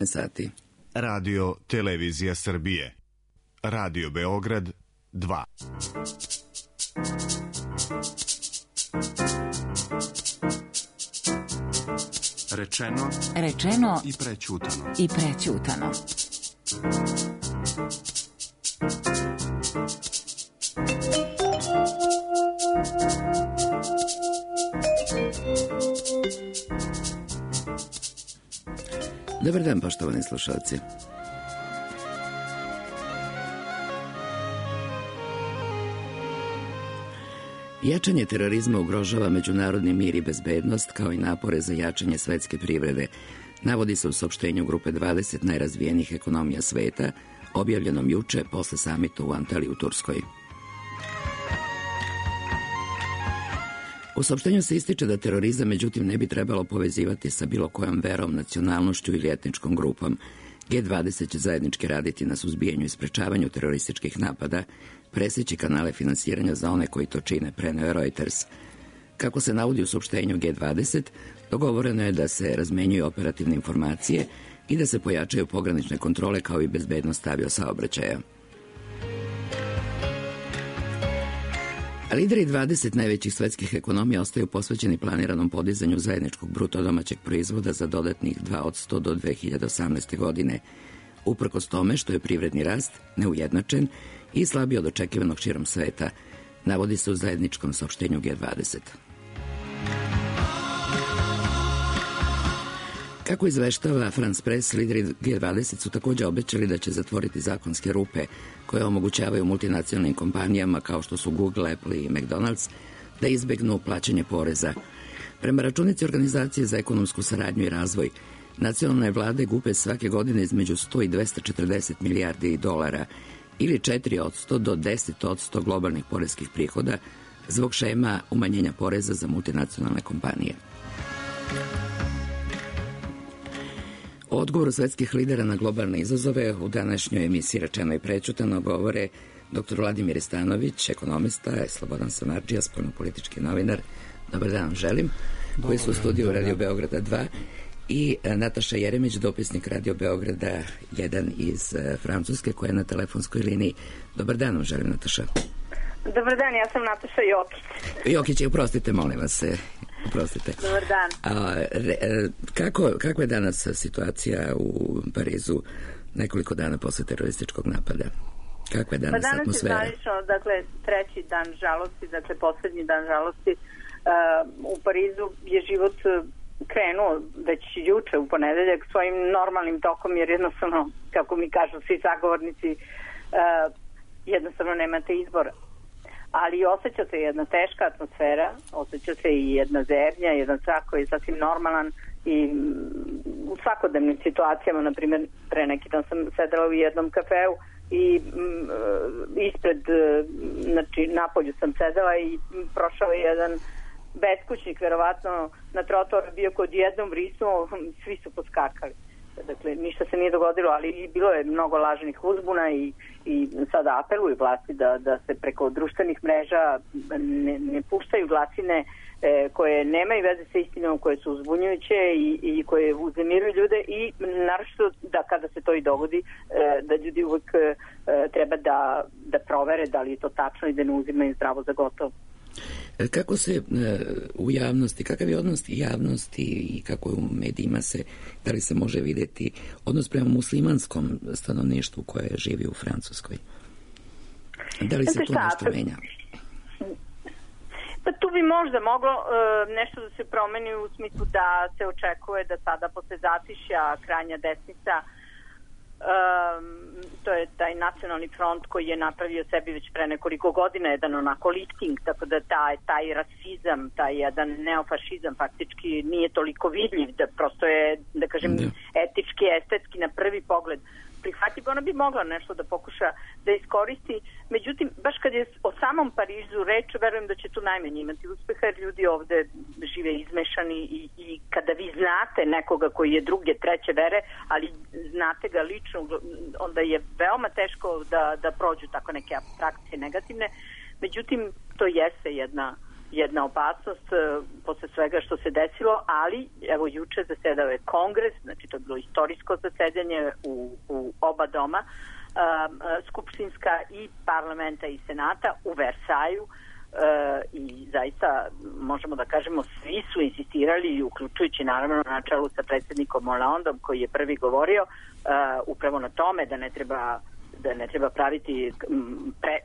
sati. Radio Televizija Srbije. Radio Beograd 2. Rečeno i prećutano. Dobar dan, poštovani slušalci. Jačanje terorizma ugrožava međunarodni mir i bezbednost, kao i napore za jačanje svetske privrede, navodi se u saopštenju grupe 20 najrazvijenijih ekonomija sveta, objavljenom juče posle samita u Antaliji u Turskoj. U saopštenju se ističe da terorizam međutim ne bi trebalo povezivati sa bilo kojom verom, nacionalnošću ili etničkom grupom. G20 će zajednički raditi na suzbijanju i sprečavanju terorističkih napada, presjeći kanale finansiranja za one koji to čine, preneo je Reuters. Kako se navodi u saopštenju G20, dogovoreno je da se razmenjuju operativne informacije i da se pojačaju pogranične kontrole kao i bezbednost aviosaobraćaja. Lideri 20 najvećih svetskih ekonomija ostaju posvećeni planiranom podizanju zajedničkog bruto domaćeg proizvoda za dodatnih 2% do 2018. godine, uprkos tome što je privredni rast neujednačen i slabiji od očekivanog širom sveta, navodi se u zajedničkom saopštenju G20. Kako izveštava France Press, lideri G20 su također obećali da će zatvoriti zakonske rupe koje omogućavaju multinacionalnim kompanijama kao što su Google, Apple i McDonald's da izbegnu plaćanje poreza. Prema računici Organizacije za ekonomsku saradnju i razvoj, nacionalne vlade gube svake godine između 100 i 240 milijardi dolara ili 4% do 10% globalnih poreskih prihoda zbog šema umanjenja poreza za multinacionalne kompanije. O odgovoru svetskih lidera na globalne izazove u današnjoj emisiji Rečeno i prećutano govore dr. Vladimir Stanović, ekonomista, Slobodan Samardžija, spoljnopolitički novinar. Dobar dan vam želim, koji su u studiju Radio Beograda 2 i Nataša Jeremić, dopisnik Radio Beograda 1 iz Francuske, koja je na telefonskoj liniji. Dobar dan vam želim, Nataša. Dobar dan, ja sam Nataša Jokić. Jokić, oprostite, molim vas se. Oprostite. Dobar dan. Kakva je danas situacija u Parizu nekoliko dana posle terorističkog napada? Kakva je danas atmosfera? Danas je zvanično, dakle, treći dan žalosti, dakle, poslednji dan žalosti. U Parizu je život krenuo već juče u ponedeljak svojim normalnim tokom, jer jednostavno, kako mi kažu svi zagovornici, jednostavno nemate izbora. Ali osjeća se jedna teška atmosfera, osjeća se i jedna zebnja, jedan strah koji je sasvim normalan i u svakodnevnim situacijama, na primjer, pre neki dan sam sedela u jednom kafeu i ispred, znači napolju sam sedela i prošao je jedan beskućnik, verovatno na trotoru bio kod jednom vrisnuo, svi su poskakali. Dakle, ništa se nije dogodilo, ali bilo je mnogo lažnih uzbuna i sada apeluju vlasti da se preko društvenih mreža ne puštaju glasine koje nemaju veze sa istinom, koje su uzbunjujuće i koje uznemiruju ljude i naročito da kada se to i dogodi, da ljudi uvek treba da provere da li je to tačno i da ne uzimaju zdravo za gotovo. Kako se u javnosti, kakav je odnos javnosti i kako je u medijima da li se može vidjeti odnos prema muslimanskom stanovništvu koje živi u Francuskoj? Da li se to nešto menja? Pa tu bi možda moglo nešto da se promeni u smislu da se očekuje da sada posle zatišja krajnja desnica, to je taj nacionalni front koji je napravio sebi već pre nekoliko godina jedan onako lifting, tako da taj rasizam, taj jedan neofašizam faktički nije toliko vidljiv, da prosto je, da kažem, etički, estetski na prvi pogled prihvatljiv. Ona bi mogla nešto da pokuša da iskoristi, međutim, baš kad je o samom Parizu reč, verujem da će tu najmanje imati uspeha, jer ljudi ovde žive izmešani i kada vi znate nekoga koji je druge, treće vere, ali znate ga lično, onda je veoma teško da prođu tako neke apstrakcije negativne. Međutim, to jeste jedna jedna opasnost posle svega što se desilo, ali evo juče zasedao je kongres, znači to je bilo istorijsko zasedanje u oba doma, skupštinska i parlamenta i senata u Versaju, i zaista možemo da kažemo svi su insistirali, uključujući naravno na čelu sa predsjednikom Hollandom koji je prvi govorio upravo na tome da ne treba praviti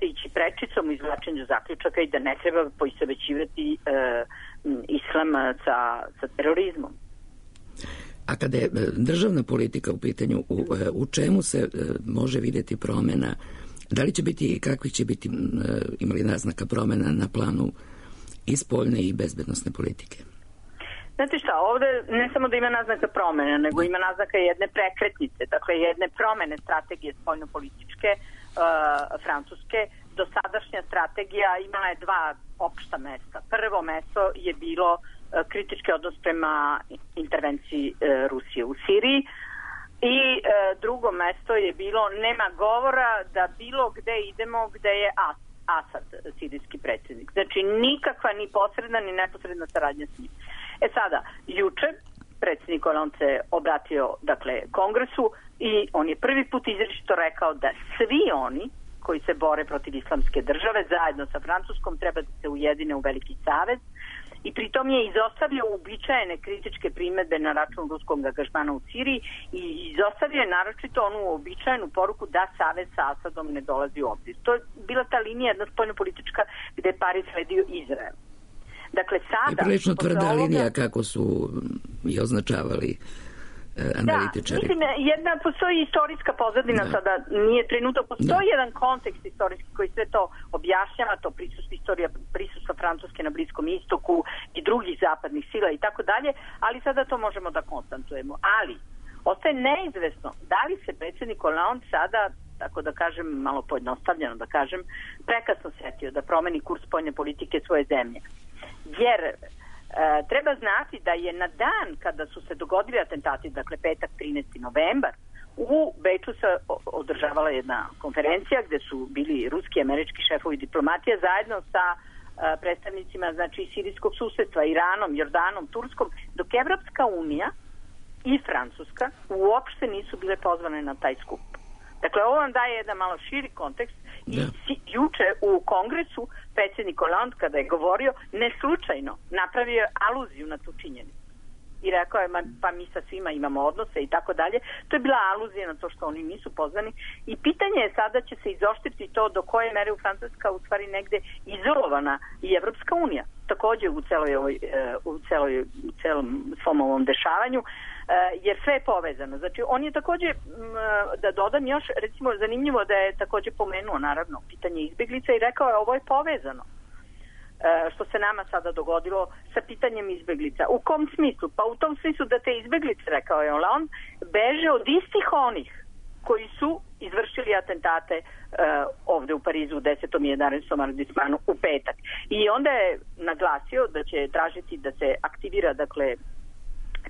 ići prečicom u izvlačenju zaključaka i da ne treba poistovećivati islam sa terorizmom. A kada je državna politika u pitanju, u čemu se može vidjeti promjena? Da li će biti i kakvi će biti imali naznaka promjena na planu i spoljne i bezbednosne politike? Znate šta, ovde ne samo da ima naznaka promjena, nego ima naznaka jedne prekretnice, dakle jedne promjene strategije spoljnopolitičke Francuske. Dosadašnja strategija imala je dva opšta mesta. Prvo mesto je bilo kritički odnos prema intervenciji Rusije u Siriji i drugo mesto je bilo nema govora da bilo gde idemo gde je Asad, sirijski predsjednik. Znači nikakva ni posredna ni neposredna saradnja s njim. Sada, juče predsjednik Hollande se obratio kongresu i on je prvi put izričito rekao da svi oni koji se bore protiv islamske države zajedno sa Francuskom treba da se ujedine u veliki savez i pritom je izostavio uobičajene kritičke primedbe na račun ruskog angažmana u Siriji i izostavio je naročito onu uobičajenu poruku da savez sa Asadom ne dolazi u obzir. To je bila ta linija jedna spoljnopolitička gde je Pariz sledio Izrael. Dakle, sada... I prilično tvrda linija kako su i označavali analitičari. Da, mislim, postoji istorijska pozadina, sada nije trenutak, postoji jedan kontekst istorijski koji sve to objašnjava, to prisustvo Francuske na Bliskom istoku i drugih zapadnih sila i tako dalje, ali sada to možemo da konstatujemo. Ali, ostaje neizvesno da li se predsjednik Hollande sada, tako da kažem, malo pojednostavljeno da kažem, prekasno setio da promeni kurs spoljne politike svoje zemlje. Jer treba znati da je na dan kada su se dogodili atentati, dakle petak 13. novembar, u Beču se održavala jedna konferencija gde su bili ruski i američki šefovi diplomatije zajedno sa predstavnicima sirijskog susedstva, Iranom, Jordanom, Turskom, dok Evropska unija i Francuska uopšte nisu bile pozvane na taj skup. Dakle, ovo vam daje jedan malo širi kontekst i juče u kongresu predsjednik Hollande kada je govorio neslučajno napravio je aluziju na tu činjenicu i rekao je pa mi sa svima imamo odnose i tako dalje. To je bila aluzija na to što oni nisu pozvani i pitanje je sada će se izoštriti to do koje mere u Francuska u stvari negde izolovana i Evropska unija također u celom svom ovom dešavanju, jer sve je povezano. Znači, on je također, da dodam još, recimo, zanimljivo da je također pomenuo, naravno, pitanje izbjeglica i rekao je ovo je povezano. Što se nama sada dogodilo sa pitanjem izbjeglica. U kom smislu? Pa u tom smislu da te izbjeglice, rekao je on, beže od istih onih koji su izvršili atentate ovde u Parizu u 10. i 11. arondismanu u petak. I onda je naglasio da će tražiti da se aktivira, dakle,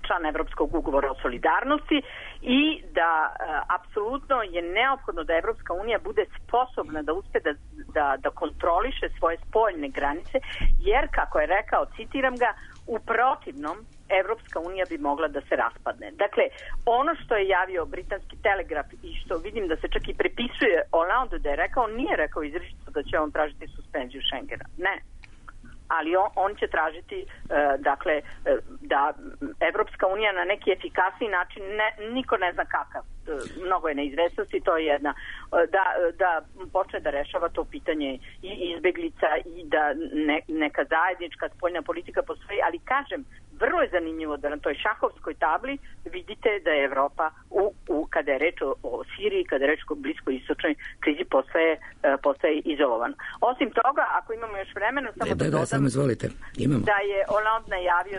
član Evropskog ugovora o solidarnosti i da apsolutno je neophodno da Evropska unija bude sposobna da uspe da kontroliše svoje spoljne granice, jer, kako je rekao, citiram ga, u protivnom Evropska unija bi mogla da se raspadne. Dakle, ono što je javio britanski Telegraf i što vidim da se čak i prepisuje Hollande da je rekao, nije rekao izričito da će on tražiti suspenziju Schengena. Ne. Ali on će tražiti da Evropska unija na neki efikasniji način, niko ne zna kakav, mnogo je neizvesnosti, to je jedna, da počne da rešava to pitanje i izbeglica i da neka zajednička spoljna politika postoji, ali kažem, vrlo je zanimljivo da na toj šahovskoj tabli vidite da je Evropa kada je reč o Siriji, kada je reč o bliskoj istočnoj krizi postaje izolovan. Osim toga, ako imamo još vremena, samo da dodam da je Hollande najavio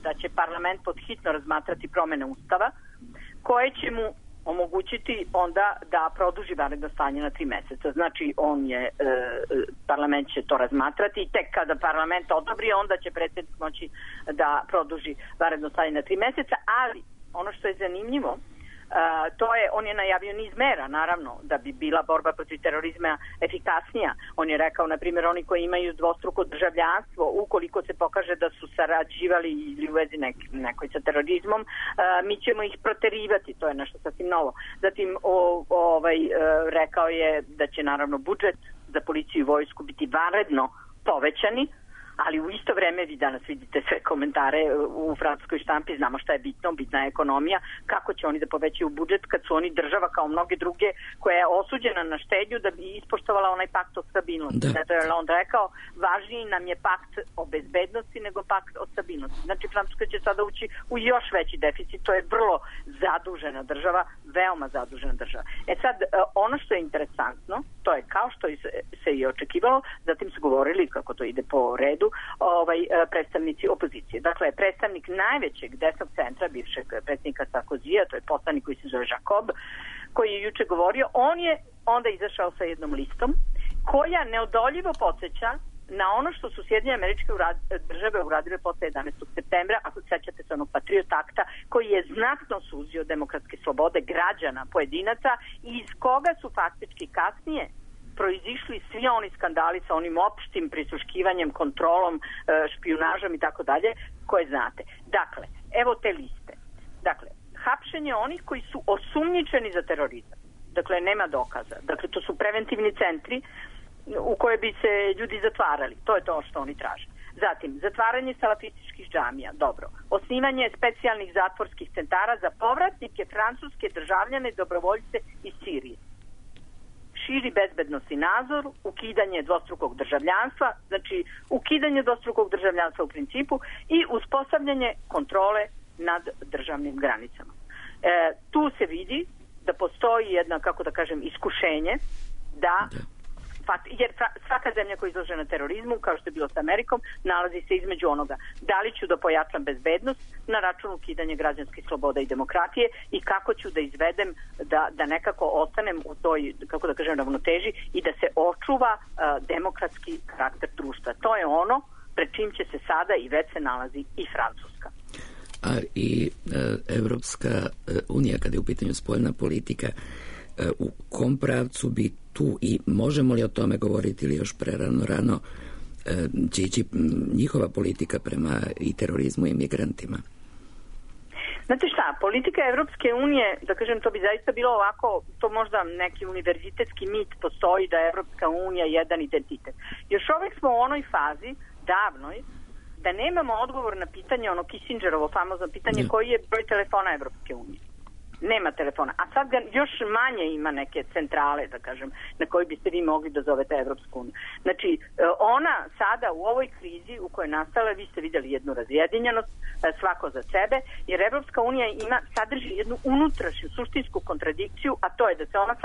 da će parlament podhitno razmatrati promene ustava koje će mu omogućiti onda da produži vanredno stanje na 3 meseca. Znači, parlament će to razmatrati i tek kada parlament odobri, onda će predsjednik moći da produži vanredno stanje na 3 meseca, ali ono što je zanimljivo, On je najavio niz mera, naravno, da bi bila borba protiv terorizma efikasnija. On je rekao, na primjer, oni koji imaju dvostruko državljanstvo, ukoliko se pokaže da su sarađivali ili u vezi nekoj sa terorizmom, mi ćemo ih proterivati, to je nešto sasvim novo. Zatim rekao je da će naravno budžet za policiju i vojsku biti vanredno povećani, ali u isto vreme vi danas vidite sve komentare u francuskoj štampi, znamo šta je bitno, bitna je ekonomija, kako će oni da povećaju budžet kad su oni država kao mnoge druge koja je osuđena na štednju da bi ispoštovala onaj pakt o stabilnosti. Zato je on rekao, važniji nam je pakt o bezbednosti nego pakt o stabilnosti. Znači Francuska će sada ući u još veći deficit, to je vrlo zadužena država, veoma zadužena država. Sad, ono što je interesantno, to je kao što se i očekivalo, zatim su govorili kako to ide po redu, predstavnici opozicije. Dakle, predstavnik najvećeg desnog centra, bivšeg predsjednika Sarkozija, to je poslanik koji se zove Jacob, koji je juče govorio, on je onda izašao sa jednom listom koja neodoljivo podsjeća na ono što su Sjedinjene Američke Države uradile posle 11. septembra, ako sećate se onog Patriot Akta, koji je znatno suzio demokratske slobode građana, pojedinaca, i iz koga su faktički kasnije proizišli svi oni skandali sa onim opštim prisluškivanjem, kontrolom, špijunažom i tako dalje, koje znate. Dakle, evo te liste. Dakle, hapšenje onih koji su osumnjičeni za terorizam. Dakle, nema dokaza. Dakle, to su preventivni centri u koje bi se ljudi zatvarali. To je to što oni traže. Zatim, zatvaranje salafističkih džamija, dobro. Osnivanje specijalnih zatvorskih centara za povratnike francuske državljane i dobrovoljce iz Sirije. Širi bezbednosni nadzor, ukidanje dvostrukog državljanstva, znači ukidanje dvostrukog državljanstva u principu i uspostavljanje kontrole nad državnim granicama. Tu se vidi da postoji jedna, kako da kažem, iskušenje da jer svaka zemlja koja je izložena terorizmu, kao što je bilo s Amerikom, nalazi se između onoga da li ću da pojačam bezbednost na račun ukidanja građanskih sloboda i demokratije i kako ću da izvedem da nekako ostanem u toj, kako da kažem, ravnoteži i da se očuva demokratski karakter društva. To je ono pred čim će se sada i već se nalazi i Francuska. A i Evropska unija, kada je u pitanju spoljna politika, u kom pravcu bi tu i možemo li o tome govoriti ili još prerano će ići njihova politika prema i terorizmu i migrantima? Znate šta, politika Evropske unije, da kažem, to bi zaista bilo ovako, to možda neki univerzitetski mit postoji da je Evropska unija jedan identitet. Još uvek smo u onoj fazi, davnoj, da nemamo odgovor na pitanje, ono Kissingerovo famozno pitanje, koji je broj telefona Evropske unije. Nema telefona. A sad ga još manje ima neke centrale, da kažem, na koji biste vi mogli da zovete Evropsku uniju. Znači, ona sada u ovoj krizi u kojoj je nastala, vi ste vidjeli jednu razjedinjenost, svako za sebe, jer Evropska unija sadrži jednu unutrašnju suštinsku kontradikciju, a to je da se ona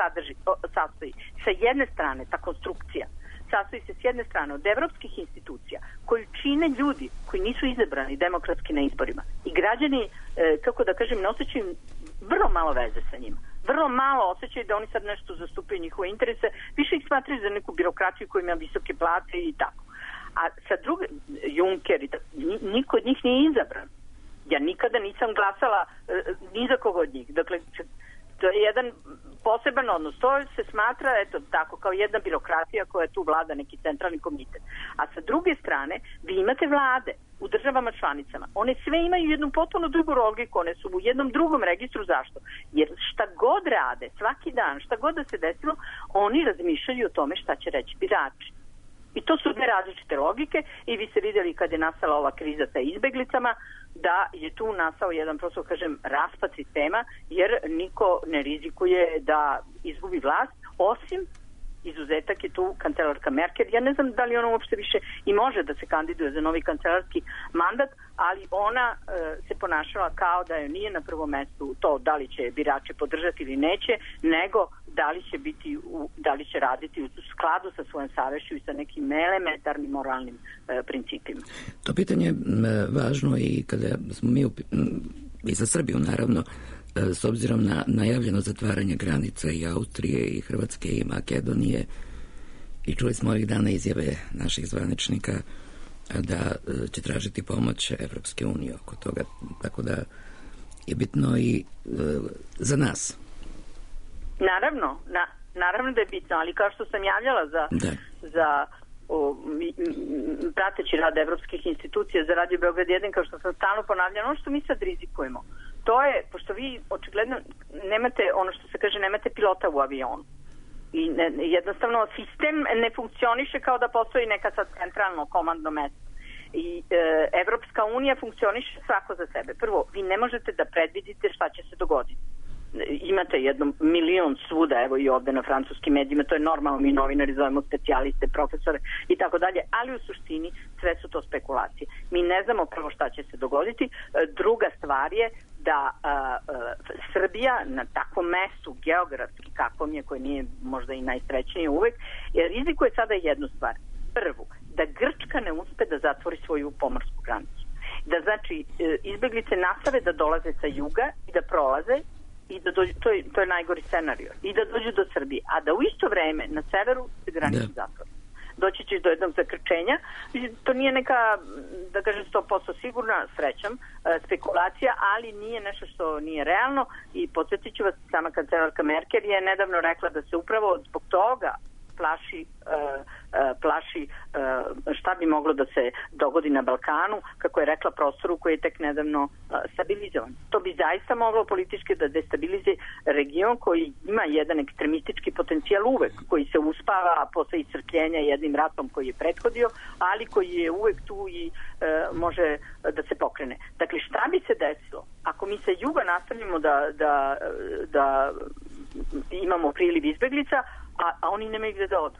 sastoji sa jedne strane, ta konstrukcija, sastoji se s jedne strane od evropskih institucija koju čine ljudi koji nisu izabrani demokratski na izborima. I građani, kako da kažem, ne osjećaju vrlo malo veze sa njima. Vrlo malo osjećaju da oni sad nešto zastupaju njihove interese, više ih smatraju za neku birokratiju koja ima visoke plate i tako. A sa druge, Juncker, niko od njih nije izabran. Ja nikada nisam glasala ni za koga od njih. Dakle, to je jedan poseban odnos. To se smatra, eto, tako, kao jedna birokratija koja tu vlada neki centralni komitet. A sa druge strane, vi imate vlade u državama članicama. One sve imaju jednu potpuno drugu logiku, one su u jednom drugom registru. Zašto? Jer šta god rade, svaki dan, šta god da se desilo, oni razmišljaju o tome šta će reći birači. I to su dve različite logike i vi ste vidjeli kad je nastala ova kriza sa izbeglicama, da je tu nastao jedan, prosto kažem, raspad sistema, jer niko ne rizikuje da izgubi vlast, osim izuzetak je tu kancelarka Merkel. Ja ne znam da li ona uopšte više i može da se kandiduje za novi kancelarski mandat, ali ona se ponašala kao da joj nije na prvom mestu to da li će birači podržati ili neće, nego da li će raditi u skladu sa svojom savešću i sa nekim elementarnim moralnim principima. To pitanje je važno i kada smo mi i za Srbiju naravno, s obzirom na najavljeno zatvaranje granica i Austrije i Hrvatske i Makedonije, i čuli smo ovih dana izjave naših zvaničnika da će tražiti pomoć Evropske unije oko toga, tako da je bitno i za nas. Naravno da je bitno, ali kao što sam javljala za prateći rad evropskih institucija za Radio Beograd 1, kao što sam stalno ponavljala, ono što mi sad rizikujemo, to je, pošto vi očigledno nemate, ono što se kaže, nemate pilota u avionu. I jednostavno sistem ne funkcioniše kao da postoji neka sad centralno komandno mesto. I Evropska unija funkcioniše svako za sebe. Prvo, vi ne možete da predvidite šta će se dogoditi. Imate 1 milion svuda, evo i ovde na francuskim medijima, to je normalno, mi novinari zovemo specijaliste, profesore i tako dalje, ali u suštini sve su to spekulacije. Mi ne znamo prvo šta će se dogoditi. Druga stvar je da Srbija na takvom mestu geografski kakvom je, koji nije možda i najsrećnije uvek, rizikuje sada jednu stvar. Prvu, da Grčka ne uspe da zatvori svoju pomorsku granicu. Da znači izbeglice nastave da dolaze sa juga i da prolaze i da dođu, to je najgori scenario, i da dođu do Srbije, a da u isto vreme na severu se granicu zatvori. Doći ćeš do jednog zakrčenja. To nije neka, da kažem 100% sigurna, srećom, spekulacija, ali nije nešto što nije realno i podsjetit ću vas, sama kancelarka Merkel je nedavno rekla da se upravo zbog toga plaši šta bi moglo da se dogodi na Balkanu, kako je rekla, prostoru koji je tek nedavno stabilizovan. To bi zaista moglo politički da destabilizuje region koji ima jedan ekstremistički potencijal uvek, koji se uspava posle iscrpljenja jednim ratom koji je prethodio, ali koji je uvek tu i može da se pokrene. Dakle, šta bi se desilo ako mi sa juga nastavimo da imamo priliv izbeglica, a oni nemaju gde da odu?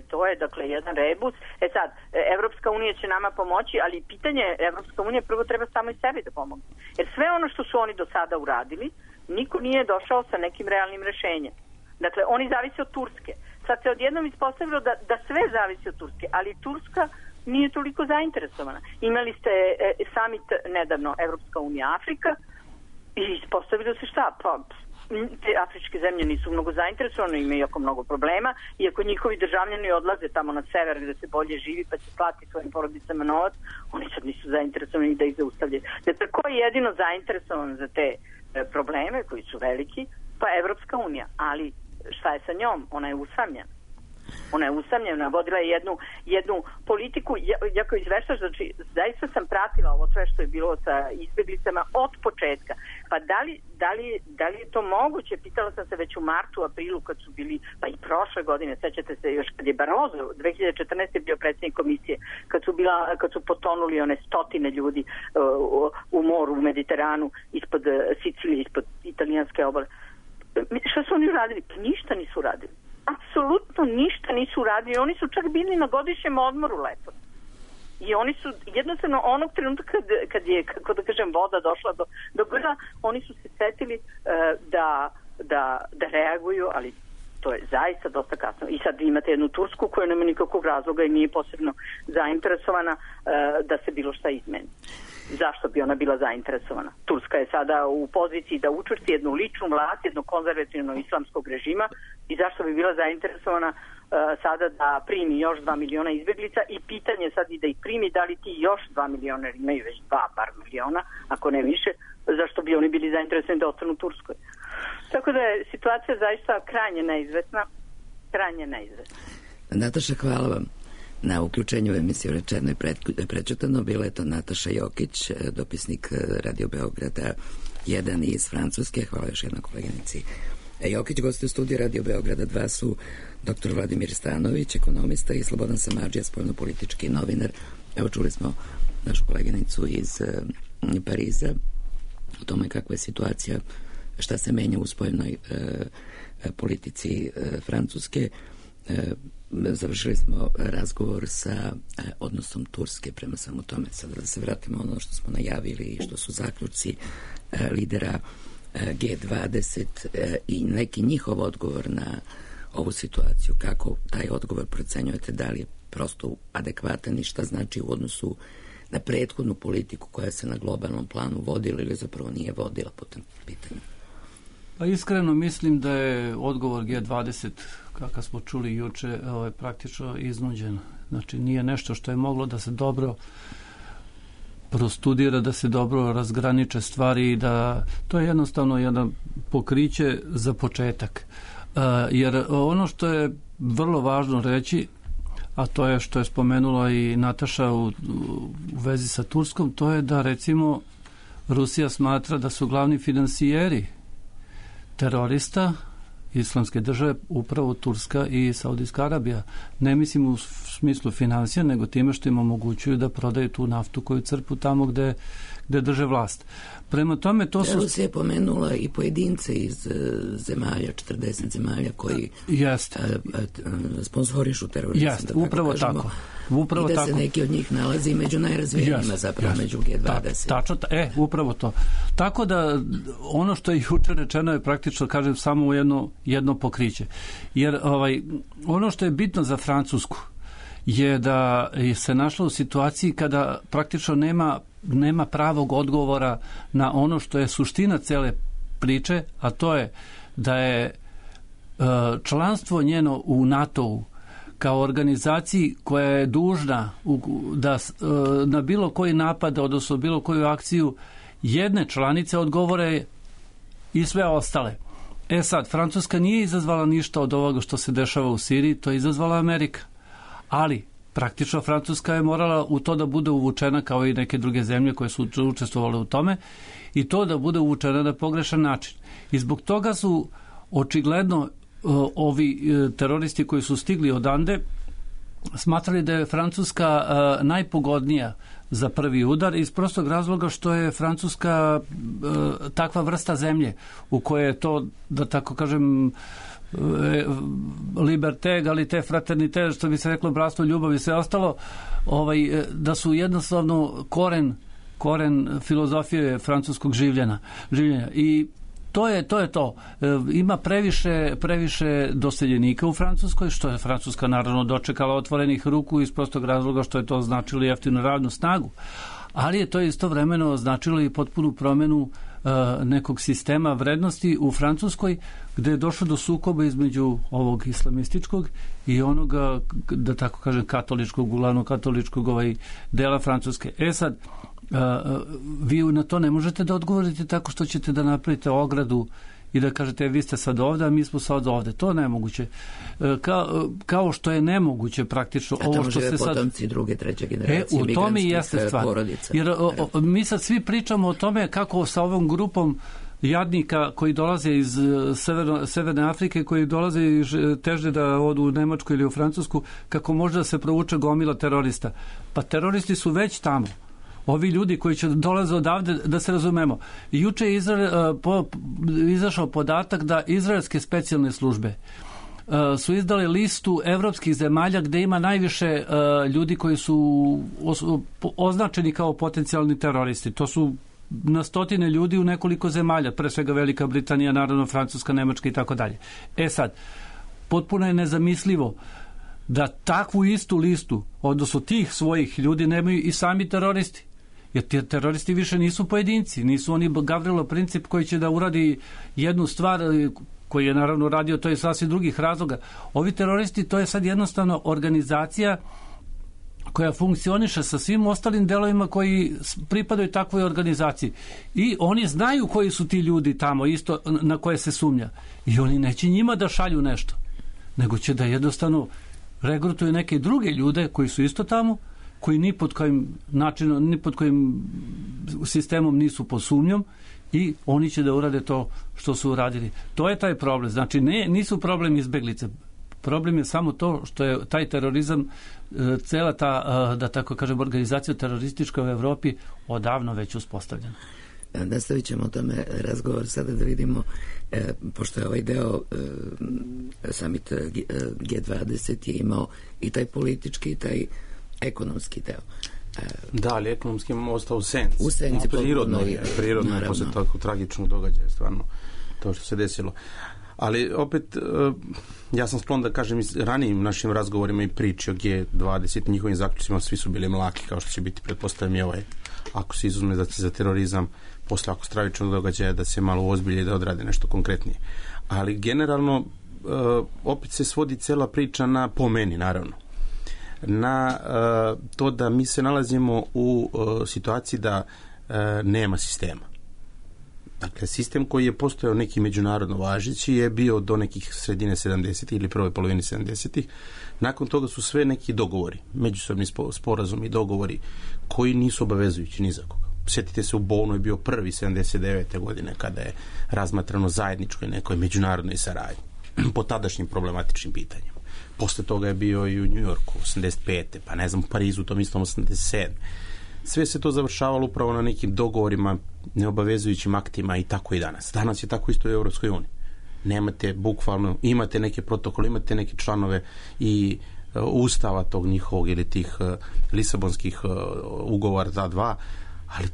To je dakle jedan rebus. Sad, Evropska unija će nama pomoći, ali pitanje Evropska unija prvo treba samo i sebi da pomogne. Jer sve ono što su oni do sada uradili, niko nije došao sa nekim realnim rešenjem. Dakle, oni zavise od Turske. Sad se odjednom ispostavilo da sve zavisi od Turske, ali Turska nije toliko zainteresovana. Imali ste summit nedavno Evropska unija Afrika i ispostavilo se šta? Pa te afričke zemlje nisu mnogo zainteresovane, imaju jako mnogo problema, iako njihovi državljani odlaze tamo na sever gde se bolje živi pa će platiti svojim porodicama novac, oni sad nisu zainteresovani da ih zaustavljaju. Dakle, ko je jedino zainteresovan za te probleme koji su veliki? Pa Evropska unija, ali šta je sa njom? Ona je usamljena. Ona je usamljena, vodila je jednu politiku, jako izveštaš, znači zaista sam pratila ovo sve što je bilo sa izbjeglicama od početka. Pa da li je to moguće? Pitala sam se već u martu, aprilu kad su bili, pa i prošle godine, sećate se još kad je Barroso, 2014. bio predsjednik komisije, kad su potonuli one stotine ljudi u moru, u Mediteranu, ispod Sicilije, ispod italijanske obale. Šta su oni uradili? Pa ništa nisu uradili. Apsolutno ništa nisu uradili. Oni su čak bili na godišnjem odmoru lepo. I oni su jednostavno onog trenutka kad je, kako da kažem, voda došla do grla, oni su se setili da reaguju, ali to je zaista dosta kasno. I sad imate jednu Tursku koja nema nikakvog razloga i nije posebno zainteresovana da se bilo šta izmeni. Zašto bi ona bila zainteresovana? Turska je sada u poziciji da učvrsti jednu ličnu vlast, jednog konzervativnog islamskog režima, i zašto bi bila zainteresovana sada da primi još 2 miliona izbjeglica, i pitanje sad i da ih primi, da li ti još 2 miliona, jer imaju već 2 bar miliona, ako ne više, zašto bi oni bili zainteresovani da ostanu u Turskoj. Tako da je situacija zaista krajnje neizvesna. Nataša, hvala vam na uključenju u emisiju Rečeno i prečutano. Bila je to Nataša Jokić, dopisnik Radio Beograda 1 iz Francuske. Hvala još jednom koleginici Jokić. Gosti u studiju Radio Beograda 2 su dr. Vladimir Stanović, ekonomista, i Slobodan Samardžija, spoljnopolitički novinar. Evo, čuli smo našu koleginicu iz Pariza o tome kakva je situacija, šta se menja u spoljnoj politici Francuske. Završili smo razgovor sa odnosom Turske prema samo tome. Sad da se vratimo ono što smo najavili i što su zaključci lidera G20 i neki njihov odgovor na ovu situaciju. Kako taj odgovor procenjujete? Da li je prosto adekvatan i šta znači u odnosu na prethodnu politiku koja se na globalnom planu vodila ili zapravo nije vodila po tom pitanju? Pa iskreno mislim da je odgovor G20, kakav smo čuli juče, praktično iznuđen. Znači nije nešto što je moglo da se dobro prostudira, da se dobro razgraniče stvari i da to je jednostavno jedno pokriće za početak. Jer ono što je vrlo važno reći, a to je što je spomenula i Nataša u vezi sa Turskom, to je da recimo Rusija smatra da su glavni finansijeri terorista Islamske države upravo Turska i Saudijska Arabija. Ne mislim u smislu financija, nego time što im omogućuju da prodaju tu naftu koju crpu tamo gde drže vlast. Prema tome, to su... Rusija je pomenula i pojedince iz zemalja, 40 zemalja koji sponzorišu terorizam. Jeste, upravo tako. I da se neki od njih nalazi među najrazvijenijima, zapravo među G20. Tačno, upravo to. Tako da ono što je juče rečeno je praktično, kažem, samo jedno pokriće. Jer ono što je bitno za Francusku je da se našla u situaciji kada praktično nema pravog odgovora na ono što je suština cele priče, a to je da je članstvo njeno u NATO-u kao organizaciji koja je dužna da na bilo koji napad, odnosno bilo koju akciju jedne članice odgovore i sve ostale. Sad, Francuska nije izazvala ništa od ovoga što se dešava u Siriji, to je izazvala Amerika. Ali, praktično Francuska je morala u to da bude uvučena kao i neke druge zemlje koje su učestvovale u tome i to da bude uvučena na pogrešan način. I zbog toga su očigledno ovi teroristi koji su stigli odande smatrali da je Francuska najpogodnija za prvi udar iz prostog razloga što je Francuska takva vrsta zemlje u kojoj je to, da tako kažem, liberté, egalité, fraternité, što bi se reklo bratstvo, ljubav i sve ostalo, da su jednostavno koren filozofije francuskog življenja. I to je to. Ima previše doseljenika u Francuskoj, što je Francuska naravno dočekala otvorenih ruku iz prostog razloga što je to značilo jeftinu radnu snagu. Ali je to istovremeno značilo i potpunu promenu nekog sistema vrednosti u Francuskoj, gde je došlo do sukoba između ovog islamističkog i onoga, da tako kažem, katoličkog, uglavnom katoličkog dela Francuske. Sad, vi na to ne možete da odgovorite tako što ćete da napravite ogradu i da kažete vi ste sad ovde, a mi smo sad ovde. To je nemoguće. Kao što je nemoguće praktično ovo što se sad... potomci druge, treće generacije u tome i jeste stvar. Porodica. Jer mi sad svi pričamo o tome kako sa ovom grupom jadnika koji dolaze iz Severne Afrike, koji dolaze i teže da odu u Nemačku ili u Francusku, kako može da se provuče gomila terorista. Pa teroristi su već tamo. Ovi ljudi koji će dolaze odavde, da se razumemo. Juče je izašao podatak da izraelske specijalne službe su izdali listu evropskih zemalja gde ima najviše ljudi koji su označeni kao potencijalni teroristi. To su na stotine ljudi u nekoliko zemalja, pre svega Velika Britanija, naravno Francuska, Nemačka i tako dalje. Sad, potpuno je nezamislivo da takvu istu listu, odnosno tih svojih ljudi, nemaju i sami teroristi. Jer ti teroristi više nisu pojedinci, nisu oni Gavrilo Princip koji će da uradi jednu stvar koji je naravno radio, to je sasvim drugih razloga. Ovi teroristi, to je sad jednostavno organizacija koja funkcioniše sa svim ostalim delovima koji pripadaju takvoj organizaciji. I oni znaju koji su ti ljudi tamo, isto na koje se sumnja. I oni neće njima da šalju nešto, nego će da jednostavno regrutuju neke druge ljude koji su isto tamo, koji ni pod kojim načinom, ni pod kojim sistemom nisu pod sumnjom i oni će da urade to što su uradili. To je taj problem. Znači, nisu problem izbeglice. Problem je samo to što je taj terorizam, cela ta, da tako kažem, organizacija teroristička u Evropi odavno već uspostavljena. Nastavit ćemo o tome razgovor sada da vidimo, pošto je ovaj deo summit G20 je imao i taj politički i taj ekonomski deo. Da, ali ekonomski je ostao u senci. U senci. Prirodno je posle tako tragičnog događaja, stvarno, to što se desilo. Ali opet, ja sam sklon da kažem ranijim našim razgovorima i priči o G20, njihovim zaključcima, svi su bili mlaki, kao što će biti, pretpostavljam i ovaj, ako se izuzme za terorizam, posle ako stravičnog događaja, da se malo ozbilje i da odrade nešto konkretnije. Ali generalno, opet se svodi cela priča na, po meni, naravno, na to da mi se nalazimo u situaciji da nema sistema. Dakle, sistem koji je postojao neki međunarodno važeći je bio do nekih sredine 70. ili prvoj polovini 70. Nakon toga su sve neki dogovori, međusobni sporazumi i dogovori koji nisu obavezujući ni za koga. Sjetite se, u Bonu je bio prvi 79. godine kada je razmatrano zajedničkoj nekoj međunarodnoj saradnji po tadašnjim problematičnim pitanjima. Posle toga je bio i u New Yorku 85. pa ne znam, u Parizu tom istom 87. Sve se to završavalo upravo na nekim dogovorima, neobavezujućim aktima i tako i danas. Danas je tako isto u Evropskoj uniji. Nemate bukvalno, imate neke protokole, imate neke članove i ustava tog njihovog ili tih lisabonskih ugovora za dva, ali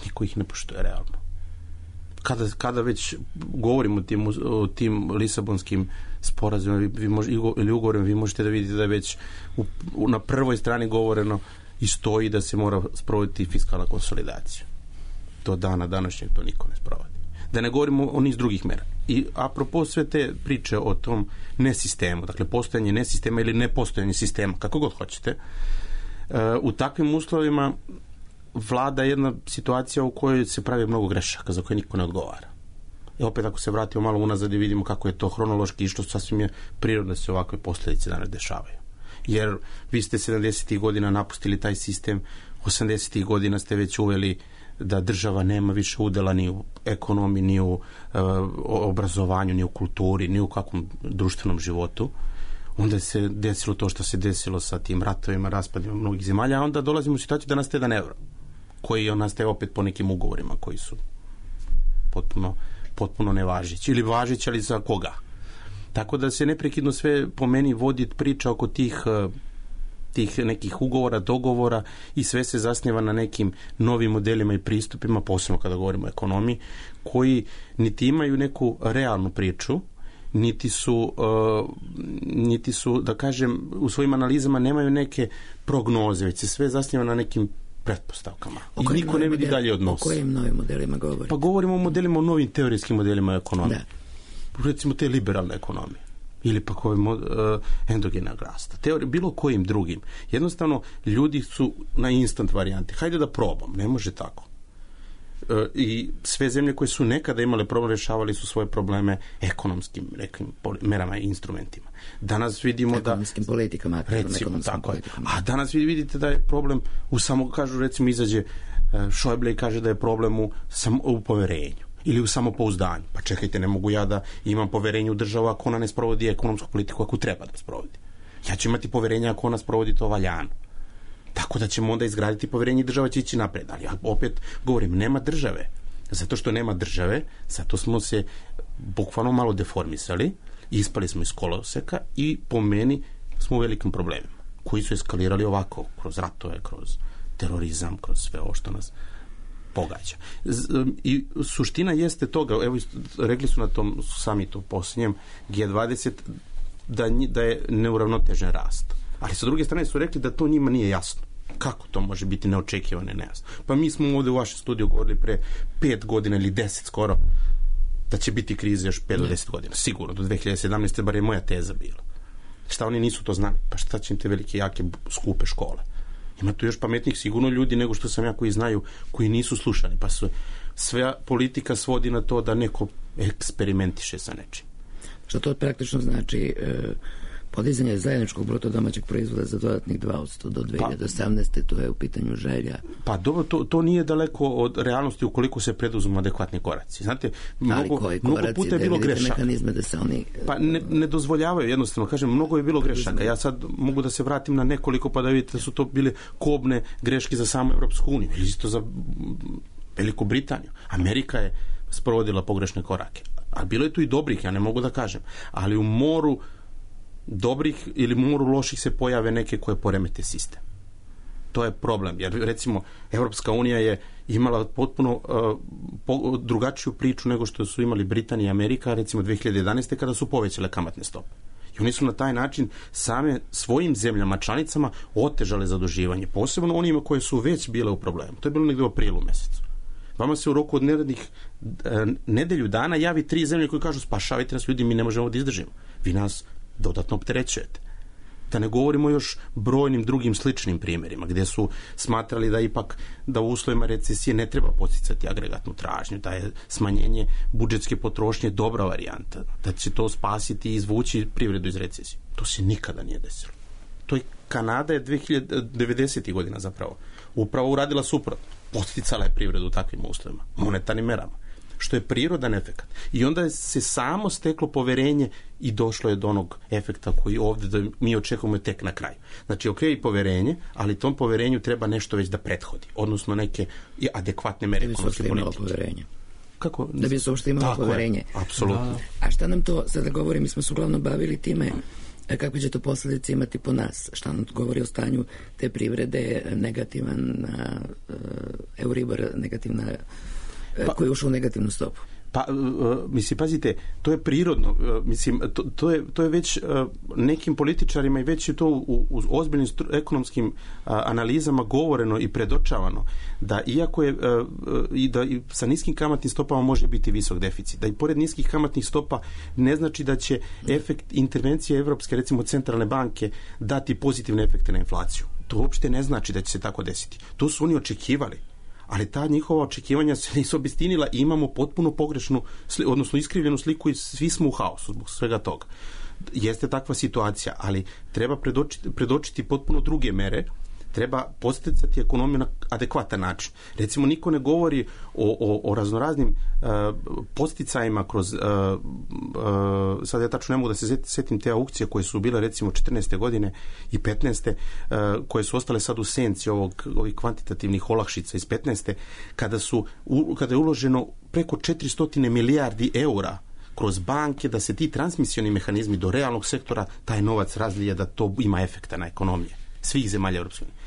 niko ih ne poštuje realno. Kada već govorimo o tim lisabonskim sporazumima ili ugovorima, vi možete da vidite da je već na prvoj strani govoreno i stoji da se mora sprovoditi fiskalna konsolidacija. Do dana današnjeg to niko ne sprovodi. Da ne govorimo o niz drugih mera. I apropo sve te priče o tom nesistemu, dakle postojanje nesistema ili nepostojanje sistema, kako god hoćete, u takvim uslovima vlada jedna situacija u kojoj se pravi mnogo grešaka za koje niko ne odgovara. I opet ako se vratimo malo unazad i vidimo kako je to hronološki išlo, sasvim je prirodno da se ovakve posljedice danas dešavaju. Jer vi ste 70. godina napustili taj sistem, 80. godina ste već uveli da država nema više udela ni u ekonomiji, ni u obrazovanju, ni u kulturi, ni u kakvom društvenom životu. Onda se desilo to što se desilo sa tim ratovima, raspadima mnogih zemalja, a onda dolazimo u situaciju da nastaje 1 euro, koji nastaje opet po nekim ugovorima koji su potpuno nevažeći. Ili važeći, ali za koga? Tako da se neprekidno sve po meni vodi priča oko tih nekih ugovora, dogovora i sve se zasniva na nekim novim modelima i pristupima, posebno kada govorimo o ekonomiji, koji niti imaju neku realnu priču, niti su, da kažem, u svojim analizama nemaju neke prognoze, već se sve zasniva na nekim pretpostavkama. I niko ne vidi dalje od nosa. O kojim novim modelima govorite? Pa govorimo o modelima, o novim teorijskim modelima ekonomije. Da. Recimo te liberalne ekonomije. Ili pak endogenog rasta. Bilo kojim drugim. Jednostavno, ljudi su na instant varijanti. Hajde da probam. Ne može tako. I sve zemlje koje su nekada imale problem, rešavali su svoje probleme ekonomskim nekim merama i instrumentima. Danas vidimo ekonomskim politikama, recimo tako je. A danas vidite da je problem recimo izađe Šojble i kaže da je problem u poverenju ili u samopouzdanju. Pa čekajte, ne mogu ja da imam poverenje u državu ako ona ne sprovodi ekonomsku politiku ako treba da sprovodi. Ja ću imati poverenje ako ona sprovodi to valjano. Tako da ćemo onda izgraditi poverenje i država će ići napred. Ali ja opet govorim, nema države. Zato što nema države, zato smo se bukvalno malo deformisali, ispali smo iz koloseka i po meni smo u velikim problemima koji su eskalirali ovako, kroz ratove, kroz terorizam, kroz sve ovo što nas pogađa. I suština jeste toga, evo rekli su na tom samitu posljednjem G20 da je neuravnotežen rast. Ali sa druge strane su rekli da to njima nije jasno. Kako to može biti neočekivano i nejasno? Pa mi smo ovdje u vašem studiju govorili pre 5 godina ili 10 skoro da će biti krize još 5 do 10 godina. Sigurno, do 2017. bar je moja teza bila. Šta oni nisu to znali? Pa šta će im te velike, jake, skupe škole? Ima tu još pametnih sigurno ljudi nego što sam ja koji znaju, koji nisu slušani. Pa sve politika svodi na to da neko eksperimentiše sa nečim. Što to praktično znači podizanje zajedničkog bruto domaćeg proizvoda za dodatnih 2% do 2018. To je u pitanju želja. Pa dobro, to nije daleko od realnosti ukoliko se preduzmu adekvatni koraci. Znate, mnogo puta je bilo grešaka. Da se oni... Pa ne dozvoljavaju, jednostavno, kažem, mnogo je bilo grešaka. Ja sad mogu da se vratim na nekoliko pa da vidite da su to bile kobne greške za samu Evropsku uniju ili isto za Veliku Britaniju. Amerika je sprovodila pogrešne korake. A bilo je tu i dobrih, ja ne mogu da kažem. Ali u moru dobrih ili moru loših se pojave neke koje poremete sistem. To je problem, jer recimo Evropska unija je imala potpuno drugačiju priču nego što su imali Britanija i Amerika, recimo 2011. kada su povećale kamatne stope. I oni su na taj način same svojim zemljama članicama otežale zaduživanje, posebno onima koje su već bile u problemu. To je bilo negdje u aprilu mesecu. Vama se u roku od nedelju dana javi 3 zemlje koje kažu spašavajte nas ljudi, mi ne možemo da izdržimo. Vi nas dodatno opterećujete. Da ne govorimo još brojnim drugim sličnim primjerima, gdje su smatrali da ipak da u uslovima recesije ne treba podsticati agregatnu tražnju, da je smanjenje budžetske potrošnje dobra varijanta, da će to spasiti i izvući privredu iz recesije. To se nikada nije desilo. To je Kanada je 90. godina zapravo upravo uradila suprotno. Podsticala je privredu u takvim uslovima, monetarnim merama, što je prirodan efekat. I onda se samo steklo poverenje i došlo je do onog efekta koji ovdje da mi očekujemo tek na kraju. Znači, ok, poverenje, ali tom poverenju treba nešto već da prethodi, odnosno neke adekvatne mere ekonomske politike. Kako? Da bi se uopšte imalo poverenje. Apsolutno. A šta nam to, sada govorim, mi smo se uglavnom bavili time kakve će to posljedice imati po nas? Šta nam govori o stanju te privrede, negativan Euribor, negativna, koji je ušao u negativnu stopu? Pa, mislim, pazite, to je prirodno, mislim, to je već nekim političarima i već je to u ozbiljnim ekonomskim analizama govoreno i predočavano, da iako je i da i sa niskim kamatnim stopama može biti visok deficit, da i pored niskih kamatnih stopa ne znači da će efekt intervencije Evropske, recimo centralne banke, dati pozitivne efekte na inflaciju. To uopšte ne znači da će se tako desiti. To su oni očekivali. Ali ta njihova očekivanja se nisu obistinila i imamo potpuno pogrešnu, odnosno iskrivljenu sliku i svi smo u haosu zbog svega toga. Jeste takva situacija, ali treba predočiti potpuno druge mere, treba podsticati ekonomiju na adekvatan način. Recimo, niko ne govori o raznoraznim podsticajima kroz sad ja tačno ne mogu da se setim te aukcije koje su bile recimo 14. godine i 15. koje su ostale sad u senci ovih kvantitativnih olakšica iz 15. kada je uloženo preko 400 milijardi eura kroz banke, da se ti transmisioni mehanizmi do realnog sektora, taj novac razlije, da to ima efekta na ekonomije svih zemalja Europske unije.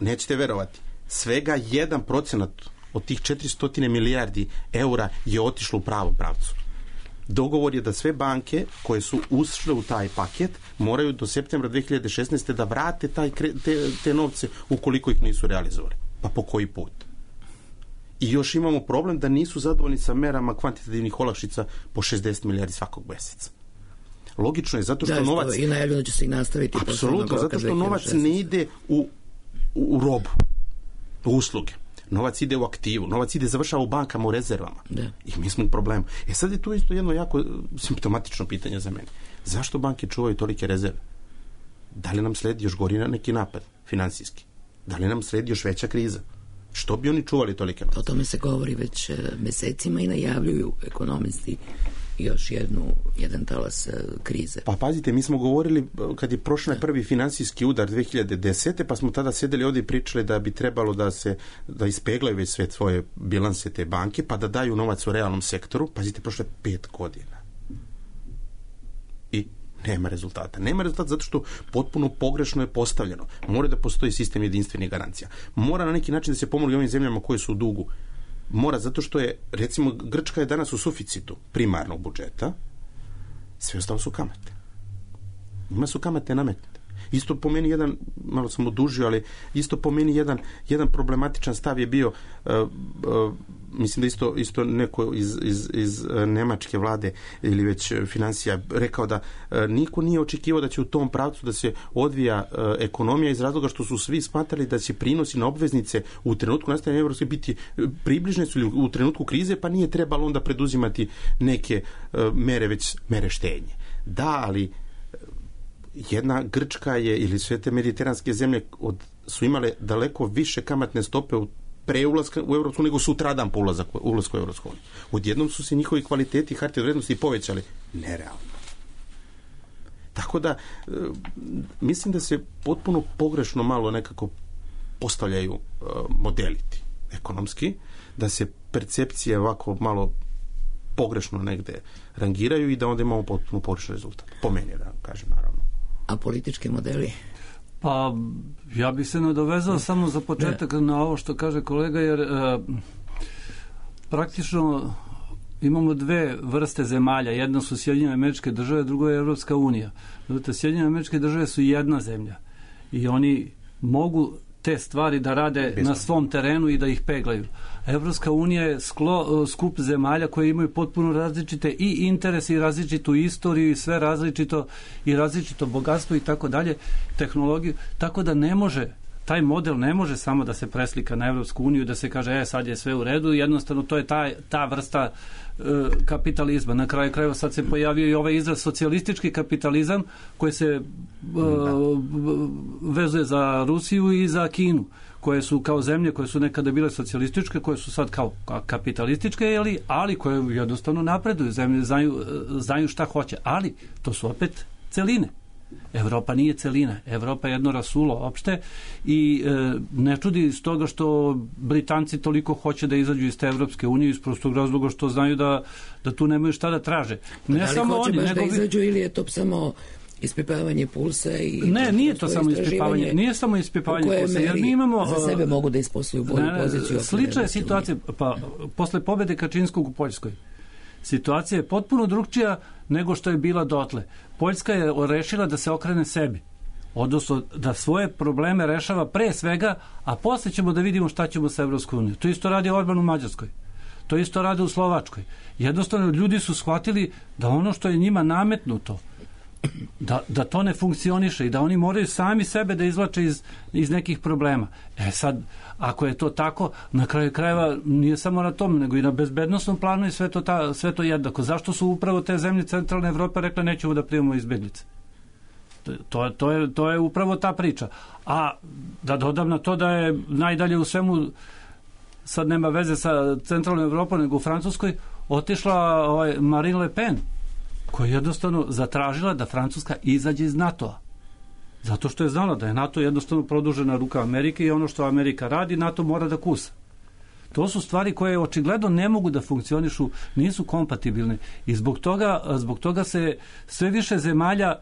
Nećete verovati, svega 1% od tih 400 milijardi eura je otišlo u pravom pravcu. Dogovor je da sve banke koje su ušle u taj paket moraju do septembra 2016. da vrate te novce ukoliko ih nisu realizovali. Pa po koji put? I još imamo problem da nisu zadovoljni sa merama kvantitativnih olakšica po 60 milijardi svakog mjeseca. Logično je, zato što novac... I najavljeno će se i nastaviti. Apsolutno, zato što novac ne ide u robu, u usluge. Novac ide u aktivu, novac ide završava u bankama, u rezervama. Da. I mi smo u problemu. Sad je tu isto jedno jako simptomatično pitanje za mene. Zašto banke čuvaju tolike rezerve? Da li nam sledi još gori neki napad financijski? Da li nam sledi još veća kriza? Što bi oni čuvali tolike novce? O tome se govori već mesecima i najavljuju ekonomisti još jedan talas krize. Pa pazite, mi smo govorili kad je prošao prvi financijski udar 2010. pa smo tada sedeli ovdje i pričali da bi trebalo da ispeglaju već sve svoje bilanse te banke, pa da daju novac u realnom sektoru. Pazite, prošlo je 5 godina. I nema rezultata. Nema rezultata zato što potpuno pogrešno je postavljeno. Mora da postoji sistem jedinstvenih garancija. Mora na neki način da se pomogne ovim zemljama koje su u dugu. Mora, zato što je, recimo, Grčka je danas u suficitu primarnog budžeta, sve ostalo su kamate. Ima su kamate nametnute. Isto po meni malo sam odužio, ali isto po meni jedan problematičan stav je bio, mislim da isto neko iz nemačke vlade ili već financija rekao da niko nije očekivao da će u tom pravcu da se odvija ekonomija iz razloga što su svi smatrali da će prinosi na obveznice u trenutku nastajanja Evropske biti približne su ili u trenutku krize, pa nije trebalo onda preduzimati neke mere, već mere štednje. Da, ali jedna Grčka je ili sve te mediteranske zemlje su imale daleko više kamatne stope pre ulaska u Evropsku nego sutradan po ulasku u Evropsku uniju. Odjednom su se njihovi kvaliteti hartije od vrednosti povećali. Nerealno. Tako da mislim da se potpuno pogrešno malo nekako postavljaju modeliti ekonomski, da se percepcije ovako malo pogrešno negde rangiraju i da onda imamo potpuno pogrešan rezultat. Po meni, da kažem, naravno. A politički modeli? Pa, ja bih se nadovezao samo za početak na ovo što kaže kolega, jer praktično imamo dve vrste zemalja. Jedno su Sjedinjene Američke Države, drugo je Evropska unija. Sjedinjene Američke Države su jedna zemlja i oni mogu te stvari da rade na svom terenu i da ih peglaju. Evropska unija je skup zemalja koje imaju potpuno različite i interese i različitu istoriju i sve različito i različito bogatstvo i tako dalje, tehnologiju, tako da ne može, taj model ne može samo da se preslika na Evropsku uniju, da se kaže sad je sve u redu, jednostavno to je ta vrsta kapitalizma. Na kraju krajeva sad se pojavio i ovaj izraz socijalistički kapitalizam koji se vezuje za Rusiju i za Kinu, koje su kao zemlje koje su nekada bile socijalističke, koje su sad kao kapitalističke, ali koje jednostavno napreduju, zemlje znaju šta hoće, ali to su opet celine. Evropa nije celina, Evropa je jedno rasulo opšte i ne čudi iz toga što Britanci toliko hoće da izađu iz te Evropske unije iz prostog razloga što znaju da tu nemaju šta da traže. Ne da li samo hoće oni, baš da izađu ili je to samo ispipavanje pulsa i ne, nije to samo ispipavanje, nije samo ispipavanje pulsa, jer mi imamo za sebe mogu da isposluju bolju poziciju. Slična je situacija, pa posle pobede Kačinskog u Poljskoj. Situacija je potpuno drugčija nego što je bila dotle. Poljska je rešila da se okrene sebi, odnosno da svoje probleme rešava pre svega, a posle ćemo da vidimo šta ćemo sa Evropskom unijom. To isto radi Orban u Mađarskoj. To isto radi u Slovačkoj. Jednostavno ljudi su shvatili da ono što je njima nametnuto, da to ne funkcioniše i da oni moraju sami sebe da izvlače iz nekih problema. Sad, ako je to tako, na kraju krajeva nije samo na tom, nego i na bezbednosnom planu i sve to jednako. Zašto su upravo te zemlje centralne Evrope rekle nećemo da primamo izbeglice? To je upravo ta priča. A da dodam na to da je najdalje u svemu, sad nema veze sa centralnom Evropom, nego u Francuskoj, otišla Marine Le Pen, koja je jednostavno zatražila da Francuska izađe iz NATO-a. Zato što je znala da je NATO jednostavno produžena ruka Amerike i ono što Amerika radi, NATO mora da kusa. To su stvari koje očigledno ne mogu da funkcionišu, nisu kompatibilne i zbog toga se sve više zemalja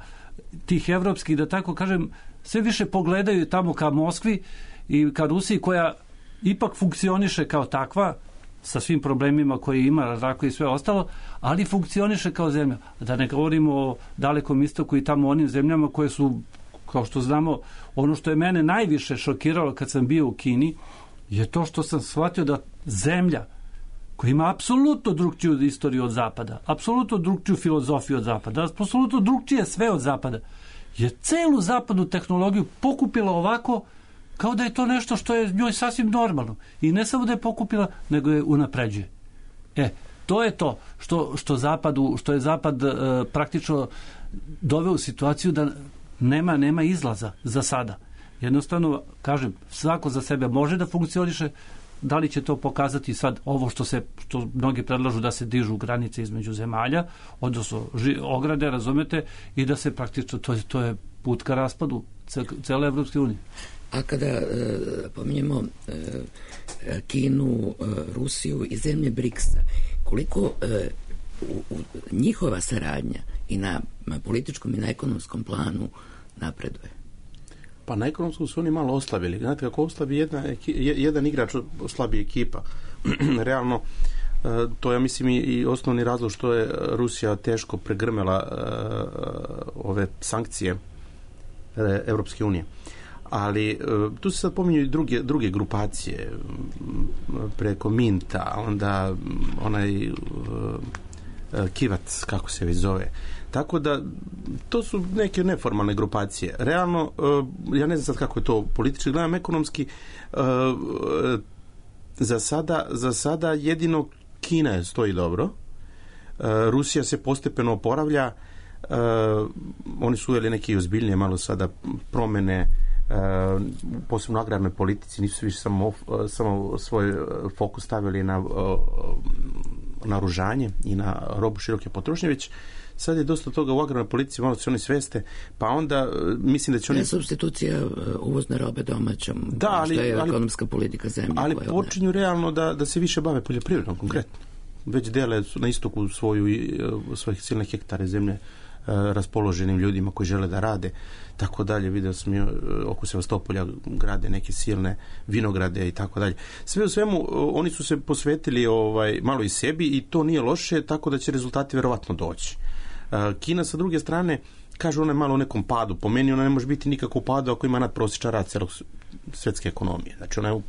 tih evropskih, da tako kažem, sve više pogledaju tamo ka Moskvi i ka Rusiji koja ipak funkcioniše kao takva, sa svim problemima koje ima, razrako i sve ostalo, ali funkcioniše kao zemlja. Da ne govorimo o Dalekom istoku i tamo onim zemljama koje su, kao što znamo, ono što je mene najviše šokiralo kad sam bio u Kini, je to što sam shvatio da zemlja koja ima apsolutno drugčiju istoriju od Zapada, apsolutno drugčiju filozofiju od Zapada, apsolutno drugčije sve od Zapada, je celu zapadnu tehnologiju pokupila ovako kao da je to nešto što je njoj sasvim normalno. I ne samo da je pokupila, nego je unapređuje. To je to što je Zapad praktično doveo u situaciju da nema izlaza za sada. Jednostavno, kažem, svako za sebe može da funkcioniše, da li će to pokazati sad ovo što mnogi predlažu da se dižu granice između zemalja, odnosno ograde, razumete, i da se praktično, to je put ka raspadu cele Evropske unije. A kada pominjemo Kinu, Rusiju i zemlje BRICS-a, koliko njihova saradnja i na političkom i na ekonomskom planu napreduje? Pa na ekonomskom su oni malo oslabili. Znate, kako oslabi jedan igrač, oslabi ekipa. Realno, to ja mislim i osnovni razlog što je Rusija teško pregrmela ove sankcije Evropske unije. Ali tu se sad pominju i druge grupacije preko Minta, onda onaj Kivac, kako se već zove. Tako da to su neke neformalne grupacije. Realno, ja ne znam sad kako je to politički, gledam ekonomski, za sada jedino Kina stoji dobro. Rusija se postepeno oporavlja. Oni su uveli neke ozbiljnije malo sada promene, posebno u agrarnoj politici, nisu više samo svoj fokus stavili na naoružanje i na robu široke potrošnje, već sad je dosta toga u agrarnoj politici, malo se oni sveste, pa onda mislim da će oni... Substitucija uvozne robe domaćom, što je ekonomska politika zemlje. Ali počinju realno da se više bave poljoprivredom, konkretno. Već dele na istoku svojih silne hektare zemlje raspoloženim ljudima koji žele da rade, tako dalje. Vidio sam oko Sevastopolja grade neke silne vinograde i tako dalje. Sve u svemu, oni su se posvetili malo i sebi i to nije loše, tako da će rezultati verovatno doći. Kina sa druge strane, kaže ona je malo u nekom padu. Po meni ona ne može biti nikako u padu ako ima nadprosječan rast svjetske ekonomije. Znači ona je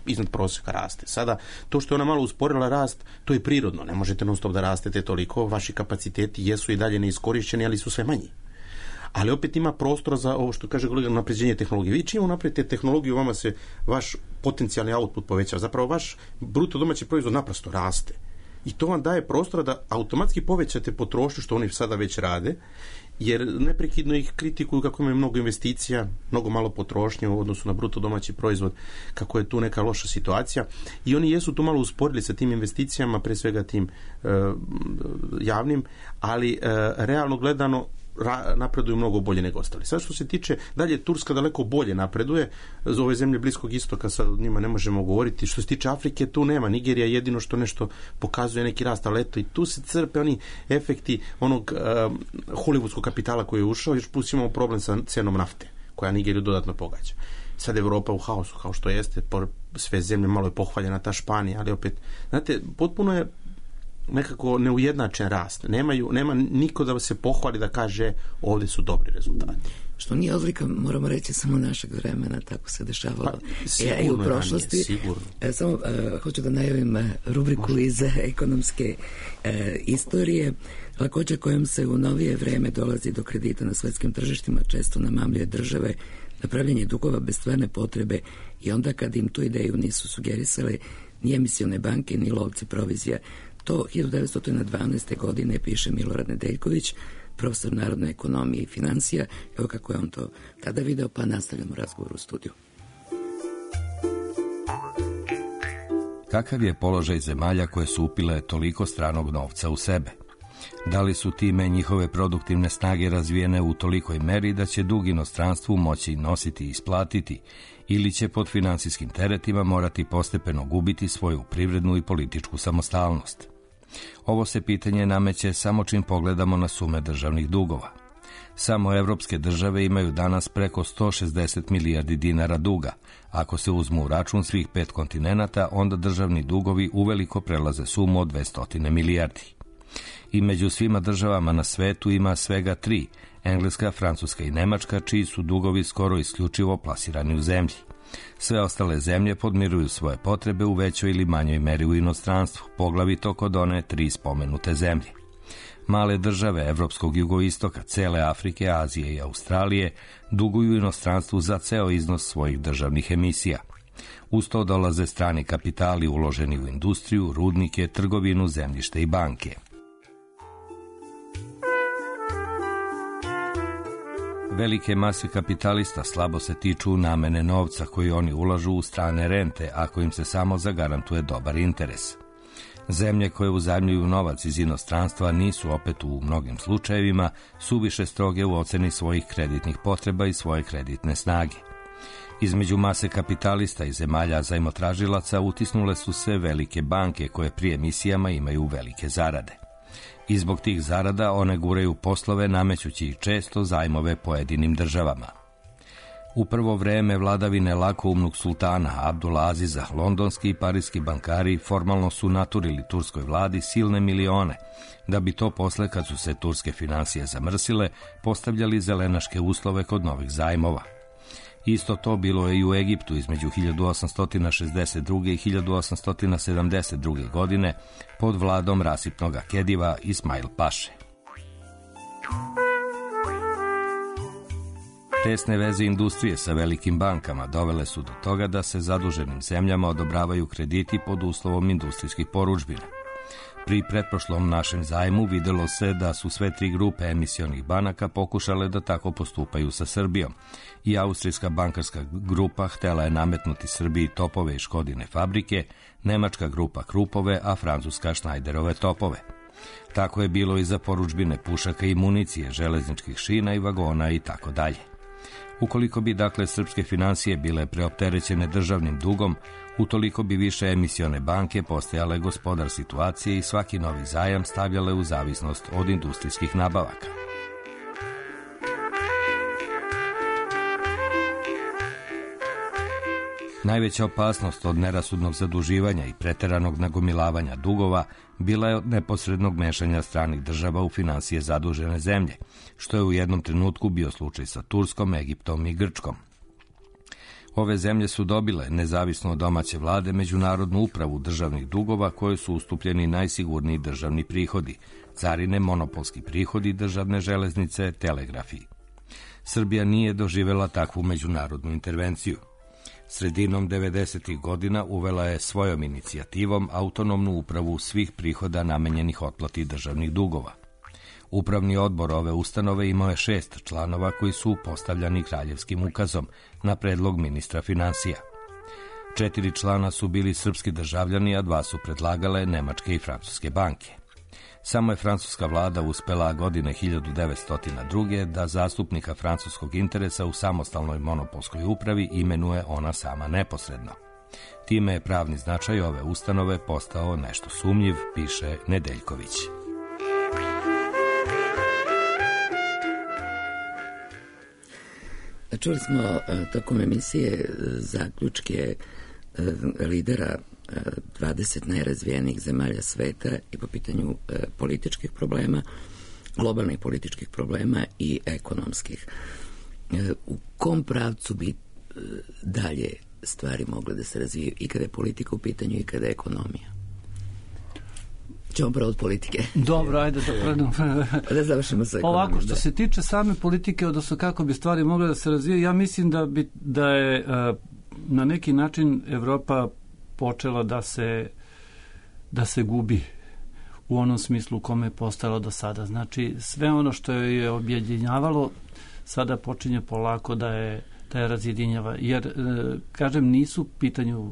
iznad prosjeka raste. Sada, to što je ona malo usporila rast, to je prirodno. Ne možete non stop da rastete toliko. Vaši kapaciteti jesu i dalje neiskorišćeni, ali su sve manji. Ali opet ima prostora za ovo što kaže kolega, napređenje tehnologije. Vi čim napravite tehnologiju, vama se vaš potencijalni output povećava. Zapravo vaš bruto domaći proizvod naprosto raste. I to vam daje prostora da automatski povećate potrošnju, što oni sada već rade, jer neprekidno ih kritikuju kako imaju mnogo investicija, mnogo malo potrošnje u odnosu na bruto domaći proizvod, kako je tu neka loša situacija. I oni jesu tu malo usporili sa tim investicijama, pre svega tim javnim, ali realno gledano napreduju mnogo bolje nego ostali. Sad što se tiče, dalje Turska daleko bolje napreduje, za ove zemlje Bliskog istoka sad o njima ne možemo govoriti. Što se tiče Afrike, tu nema. Nigerija jedino što nešto pokazuje neki rast, ali eto i tu se crpe oni efekti onog hollywoodskog kapitala koji je ušao, još plus imamo problem sa cenom nafte, koja Nigeriju dodatno pogađa. Sad Evropa u haosu, kao što jeste, sve zemlje, malo je pohvaljena ta Španija, ali opet, znate, potpuno je nekako neujednačen rast. Nema niko da se pohvali da kaže ovdje su dobri rezultati. Što nije odlika, moramo reći, samo našeg vremena, tako se dešavalo i u prošlosti. Sigurno. Samo hoću da najavim rubriku iz ekonomske istorije, lakoća kojom se u novije vreme dolazi do kredita na svetskim tržištima često namamljuje države na pravljenje dugova bez stvarne potrebe i onda kad im tu ideju nisu sugerisale ni emisione banke, ni lovci provizija. To 1912. godine piše Milorad Nedeljković, profesor narodne ekonomije i financija. Evo kako je on to tada video, pa nastavljamo razgovor u studiju. Kakav je položaj zemalja koje su upile toliko stranog novca u sebe? Da li su time njihove produktivne snage razvijene u tolikoj meri da će dug inostranstvu moći nositi i isplatiti, ili će pod finansijskim teretima morati postepeno gubiti svoju privrednu i političku samostalnost? Ovo se pitanje nameće samo čim pogledamo na sume državnih dugova. Samo evropske države imaju danas preko 160 milijardi dinara duga. Ako se uzmu u račun svih 5 kontinenata, onda državni dugovi uveliko prelaze sumu od 200 milijardi. I među svima državama na svetu ima svega 3, Engleska, Francuska i Nemačka, čiji su dugovi skoro isključivo plasirani u zemlji. Sve ostale zemlje podmiruju svoje potrebe u većoj ili manjoj meri u inostranstvu, poglavito kod one 3 spomenute zemlje. Male države evropskog jugoistoka, cele Afrike, Azije i Australije duguju inostranstvu za ceo iznos svojih državnih emisija. Uz to dolaze strani kapitali uloženi u industriju, rudnike, trgovinu, zemljište i banke. Velike mase kapitalista slabo se tiču namene novca koji oni ulažu u strane rente, ako im se samo zagarantuje dobar interes. Zemlje koje uzajmljuju novac iz inostranstva nisu opet u mnogim slučajevima suviše stroge u oceni svojih kreditnih potreba i svoje kreditne snage. Između mase kapitalista i zemalja zajmotražilaca utisnule su se velike banke koje pri emisijama imaju velike zarade. I zbog tih zarada one guraju poslove namećući ih često zajmove pojedinim državama. U prvo vreme vladavine lakoumnog sultana Abdul Aziza, londonski i parijski bankari formalno su naturili turskoj vladi silne milione, da bi to posle, kad su se turske finansije zamrsile, postavljali zelenaške uslove kod novih zajmova. Isto to bilo je i u Egiptu između 1862. i 1872. godine pod vladom rasipnog Kediva Ismail Paše. Tesne veze industrije sa velikim bankama dovele su do toga da se zaduženim zemljama odobravaju krediti pod uslovom industrijskih porudžbina. Pri pretprošlom našem zajmu videlo se da su sve 3 grupe emisionih banaka pokušale da tako postupaju sa Srbijom i austrijska bankarska grupa htela je nametnuti Srbiji Topove i Škodine fabrike, nemačka grupa Krupove, a francuska Schneiderove topove. Tako je bilo i za porudžbine pušaka i municije, železničkih šina i vagona i tako dalje. Ukoliko bi, dakle, srpske finansije bile preopterećene državnim dugom, utoliko bi više emisione banke postajale gospodar situacije i svaki novi zajam stavljale u zavisnost od industrijskih nabavaka. Najveća opasnost od nerasudnog zaduživanja i preteranog nagomilavanja dugova bila je od neposrednog mešanja stranih država u finansije zadužene zemlje, što je u jednom trenutku bio slučaj sa Turskom, Egiptom i Grčkom. Ove zemlje su dobile, nezavisno od domaće vlade, međunarodnu upravu državnih dugova koje su ustupljeni najsigurniji državni prihodi, carine, monopolski prihodi, državne železnice, telegrafi. Srbija nije doživela takvu međunarodnu intervenciju. Sredinom 90. godina uvela je svojom inicijativom autonomnu upravu svih prihoda namenjenih otplati državnih dugova. Upravni odbor ove ustanove imao je 6 članova koji su postavljani kraljevskim ukazom na predlog ministra finansija. 4 člana su bili srpski državljani, a 2 su predlagale nemačke i francuske banke. Samo je francuska vlada uspela godine 1902. da zastupnika francuskog interesa u samostalnoj monopolskoj upravi imenuje ona sama neposredno. Time je pravni značaj ove ustanove postao nešto sumnjiv, piše Nedeljković. Čuli smo tokom emisije zaključke lidera 20 najrazvijenijih zemalja sveta i po pitanju političkih problema, globalnih političkih problema i ekonomskih. U kom pravcu bi dalje stvari mogle da se razviju i kada je politika u pitanju i kada je ekonomija? Ćemo prvo od politike. Dobro, ajde da predam. Da završimo sa ekonomijom. Ovako, što se tiče same politike, odnosno kako bi stvari mogle da se razvije, ja mislim da je na neki način Evropa počela da se gubi u onom smislu u kome je postalo do sada. Znači, sve ono što je objedinjavalo sada počinje polako da je razjedinjava. Jer, kažem, nisu u pitanju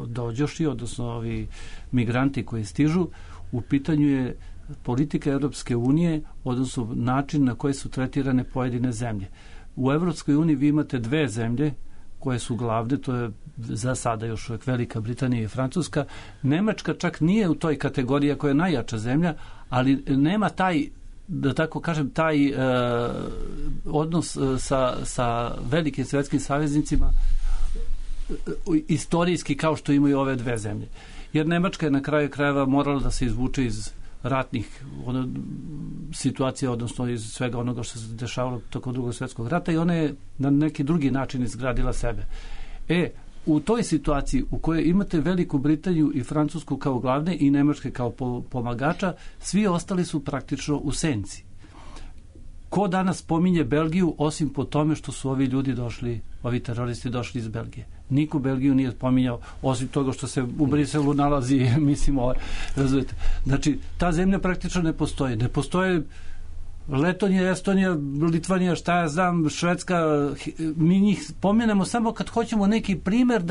dođoši, odnosno ovi migranti koji stižu, u pitanju je politika Evropske unije, odnosno način na koji su tretirane pojedine zemlje. U Evropskoj uniji vi imate 2 zemlje koje su glavne, to je za sada još uvijek Velika Britanija i Francuska. Nemačka čak nije u toj kategoriji koja je najjača zemlja, ali nema taj, da tako kažem, taj odnos sa velikim svjetskim saveznicima istorijski kao što imaju ove 2 zemlje. Jer Nemačka je na kraju krajeva morala da se izvuče iz ratnih situacija, odnosno iz svega onoga što se dešavalo tokom Drugog svjetskog rata i ona je na neki drugi način izgradila sebe. U toj situaciji u kojoj imate Veliku Britaniju i Francusku kao glavne i Nemačke kao pomagača, svi ostali su praktično u senci. Ko danas pominje Belgiju osim po tome što su ovi ljudi došli, ovi teroristi došli iz Belgije? Niko Belgiju nije pominjao, osim toga što se u Briselu nalazi, mislim, razumijete. Znači, ta zemlja praktično ne postoji. Ne postoje Letonija, Estonija, Litvanija, šta ja znam, Švedska, mi njih pomenemo samo kad hoćemo neki primjer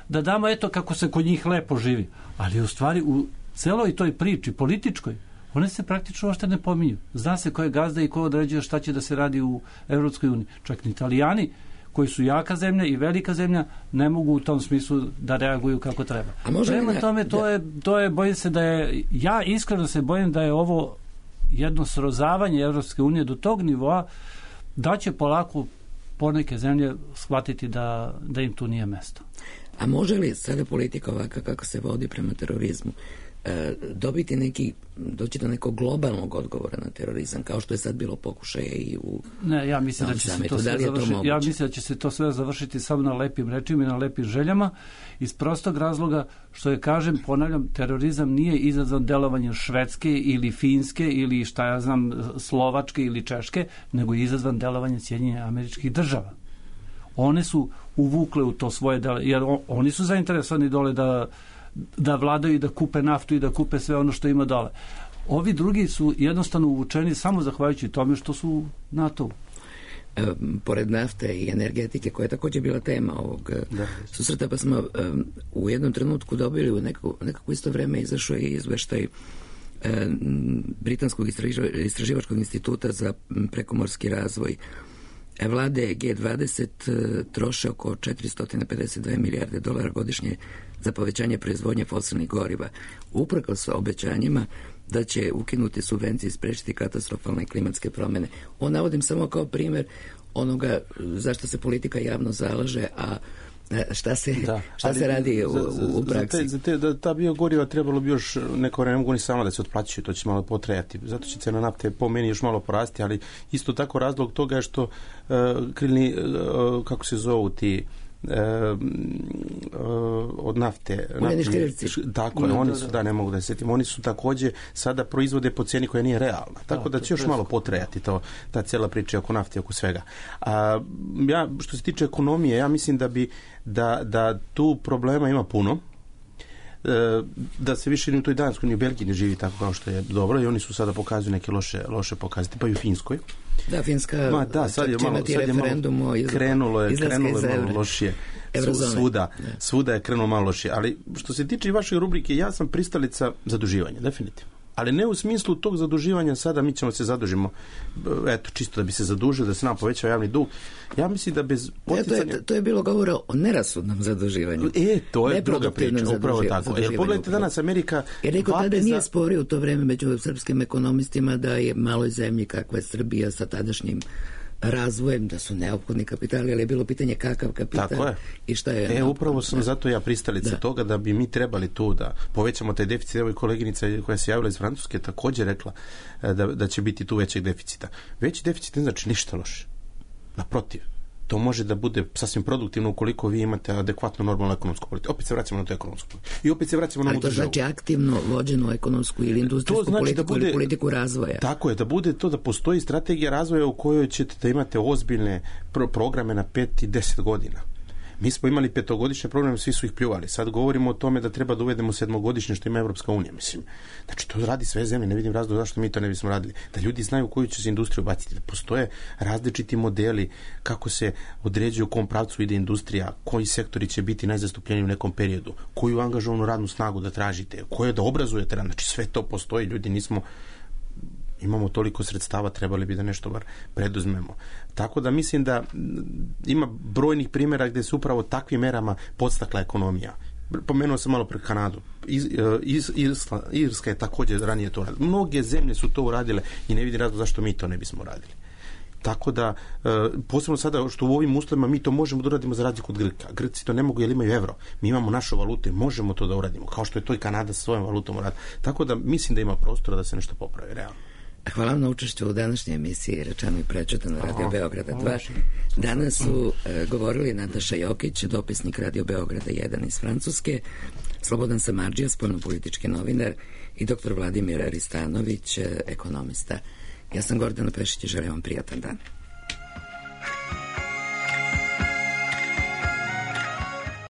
da damo eto kako se kod njih lepo živi. Ali u stvari u celoj toj priči političkoj, one se praktično ošte ne pominju. Zna se ko je gazda i ko određuje šta će da se radi u Evropskoj uniji. Čak ni Italijani, koji su jaka zemlja i velika zemlja, ne mogu u tom smislu da reaguju kako treba. Prema tome, to je, bojim se da je, ja iskreno se bojim da je ovo jedno srozavanje Evropske unije do tog nivoa da će polako poneke zemlje shvatiti da im tu nije mesto. A može li sada politika ovaka kako se vodi prema terorizmu doći do nekog globalnog odgovora na terorizam, kao što je sad bilo pokušaje i u ja mislim da će se to sve završiti. Ja mislim da će se to sve završiti samo na lepim rečima i na lepim željama, iz prostog razloga što je, kažem, ponavljam, terorizam nije izazvan delovanjem Švedske ili Finske ili šta ja znam Slovačke ili Češke, nego je izazvan delovanjem Sjedinjenih Američkih Država. One su uvukle u to svoje jer oni su zainteresovani dole da vladaju i da kupe naftu i da kupe sve ono što ima dole. Ovi drugi su jednostavno uvučeni samo zahvaljujući tome što su NATO-u. Pored nafte i energetike, koja je također bila tema ovog susreta, pa smo u jednom trenutku dobili u nekako isto vreme izašao i izveštaj Britanskog istraživačkog instituta za prekomorski razvoj. Vlade G20 troše oko 452 milijarde dolara godišnje za povećanje proizvodnje fosilnih goriva, uprkos obećanjima da će ukinuti subvencije i sprečiti katastrofalne klimatske promjene. Ovo navodim samo kao primjer onoga zašto se politika javno zalaže, a Šta se radi u praksi? Za ta biogoriva trebalo bi još neko vreme, ne mogu ni sama da se otplaćuju, to će malo potrajati. Zato će cena nafte po meni još malo porasti, ali isto tako razlog toga je što krilni, kako se zovu ti od nafte. Tako je, oni su, ne mogu da se sjetim, oni su također sada proizvode po cijeni koja nije realna. Tako da će još malo potrajati ta cijela priča oko nafte, oko svega. Ja, što se tiče ekonomije, ja mislim da tu problema ima puno. Da se više ni u toj Danskoj ni u Belgiji ne živi tako kao što je dobro i oni su sada pokazuju neke loše pokazati, pa i u Finskoj. Da, Finska sad je malo krenulo je malo lošije. Svuda je krenulo malo lošije. Ali što se tiče i vaše rubrike, ja sam pristalica zaduživanja, definitivno. Ali ne u smislu tog zaduživanja sada mi ćemo se zadužimo, eto, čisto da bi se zadužili, da se nam povećao javni dug. Ja mislim da bez poticanja... To je bilo govora o nerasudnom zaduživanju. To je druga priča, upravo tako. Jer pogledajte danas Amerika... Jer niko tada nije sporio u to vreme među srpskim ekonomistima da je maloj zemlji kakva je Srbija sa tadašnjim razvojem, da su neophodni kapitali, ali je bilo pitanje kakav kapital i šta je... Upravo sam zato ja pristalica toga da bi mi trebali tu da povećamo taj deficit. Evo i koleginica koja se javila iz Francuske također rekla da će biti tu većeg deficita. Veći deficit ne znači ništa loše. Naprotiv. To može da bude sasvim produktivno ukoliko vi imate adekvatnu normalnu ekonomsku politiku. Opet se vraćamo na tu ekonomsku politiku. I opet se vraćamo na ovu državu. Ali to znači aktivno vođenu ekonomsku ili industrijsku politiku ili politiku razvoja. Tako je, da bude to da postoji strategija razvoja u kojoj ćete da imate ozbiljne programe na 5 i 10 godina. Mi smo imali 5-godišnje programe, svi su ih pljuvali. Sad govorimo o tome da treba da uvedemo 7-godišnje što ima Evropska unija, mislim. Znači, to radi sve zemlje, ne vidim razlog zašto mi to ne bismo radili. Da ljudi znaju u koju će se industriju baciti, da postoje različiti modeli kako se određuje u kom pravcu ide industrija, koji sektori će biti najzastupljeniji u nekom periodu, koju angažovanu radnu snagu da tražite, koje da obrazujete, znači sve to postoji, ljudi imamo toliko sredstava, trebali bi da nešto bar preduzmemo. Tako da mislim da ima brojnih primjera gdje se upravo takvim merama podstakla ekonomija. Pomenuo sam malo pre Kanadu. Irska je također ranije to radila. Mnoge zemlje su to uradile i ne vidim razlog zašto mi to ne bismo radili. Tako da, posebno sada što u ovim uslovima mi to možemo da uradimo za razliku od Grka. Grci to ne mogu jer imaju evro. Mi imamo našu valutu i možemo to da uradimo. Kao što je to i Kanada sa svojom valutom uradi. Tako da mislim da ima prostora da se nešto popravi realno. Hvala vam na učešću u današnjoj emisiji Rečeno i prečutano Radio Beograda 2. Danas su govorili Nataša Jokić, dopisnik Radio Beograda 1 iz Francuske, Slobodan Samardžija, spoljnopolitički novinar i dr. Vladimir Aristanović, ekonomista. Ja sam Gordana Pešić i želim vam prijatan dan.